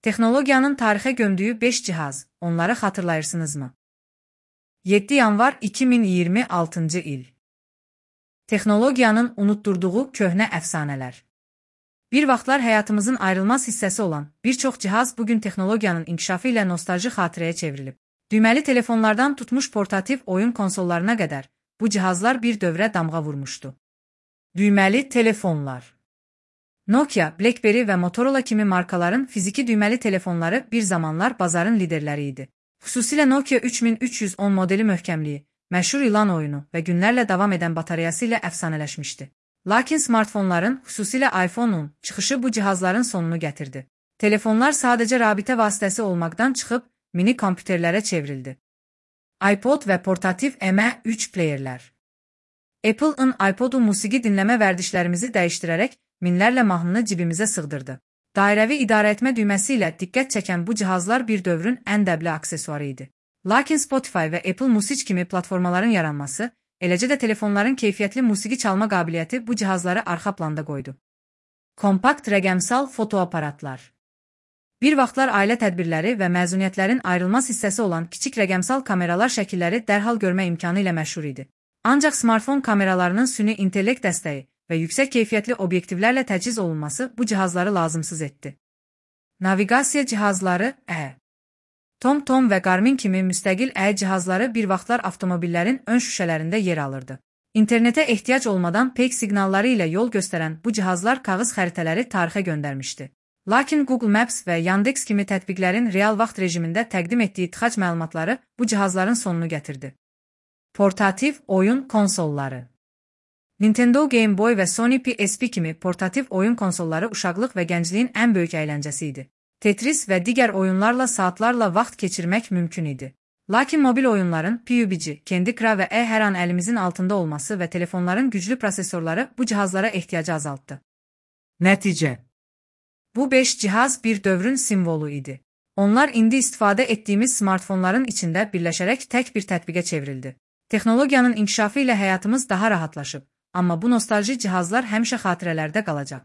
Texnologiyanın tarixə gömdüyü 5 cihaz, onları xatırlayırsınızmı? 7 yanvar 2026-cı il. Texnologiyanın unutturduğu köhnə əfsanələr. Bir vaxtlar həyatımızın ayrılmaz hissəsi olan bir çox cihaz bugün texnologiyanın inkişafı ilə nostalji xatirəyə çevrilib. Düyməli telefonlardan tutmuş portativ oyun konsollarına qədər bu cihazlar bir dövrə damğa vurmuşdu. Düyməli telefonlar. Nokia, BlackBerry və Motorola kimi markaların fiziki düyməli telefonları bir zamanlar bazarın liderləri idi. Xüsusilə Nokia 3310 modeli möhkəmliyi, məşhur ilan oyunu və günlərlə davam edən batareyası ilə əfsanələşmişdi. Lakin smartfonların, xüsusilə iPhone-un çıxışı bu cihazların sonunu gətirdi. Telefonlar sadəcə rabitə vasitəsi olmaqdan çıxıb mini kompüterlərə çevrildi. iPod və portativ M3 playerlər. Apple-ın iPod-u musiqi dinləmə vərdişlərimizi dəyişdirərək minlərlə mahnını cibimizə sığdırdı. Dairəvi idarəetmə düyməsi ilə diqqət çəkən bu cihazlar bir dövrün ən dəbli aksesuarı idi. Lakin Spotify və Apple Music kimi platformaların yaranması, eləcə də telefonların keyfiyyətli musiqi çalma qabiliyyəti bu cihazları arxa planda qoydu. Kompakt rəqəmsal fotoaparatlar. Bir vaxtlar ailə tədbirləri və məzuniyyətlərin ayrılmaz hissəsi olan kiçik rəqəmsal kameralar şəkilləri dərhal görmə imkanı ilə məşhur idi. Ancaq smartfon kameralarının süni intellekt dəstəyi və yüksək keyfiyyətli obyektivlərlə təchiz olunması bu cihazları lazımsız etdi. Naviqasiya cihazları TomTom və Garmin kimi müstəqil cihazları bir vaxtlar avtomobillərin ön şüşələrində yer alırdı. İnternetə ehtiyac olmadan peyk siqnalları ilə yol göstərən bu cihazlar kağız xəritələri tarixə göndərmişdi. Lakin Google Maps və Yandex kimi tətbiqlərin real vaxt rejimində təqdim etdiyi tıxac məlumatları bu cihazların sonunu gətirdi. Portativ oyun konsolları. Nintendo Game Boy və Sony PSP kimi portativ oyun konsolları uşaqlıq və gəncliyin ən böyük əyləncəsi idi. Tetris və digər oyunlarla saatlarla vaxt keçirmək mümkün idi. Lakin mobil oyunların PUBG, Candy Crush və hər an əlimizin altında olması və telefonların güclü prosesorları bu cihazlara ehtiyacı azaltdı. Nəticə. Bu 5 cihaz bir dövrün simvolu idi. Onlar indi istifadə etdiyimiz smartfonların içində birləşərək tək bir tətbiqə çevrildi. Texnologiyanın inkişafı ilə həyatımız daha rahatlaşıb, amma bu nostalji cihazlar həmişə xatirələrdə qalacaq.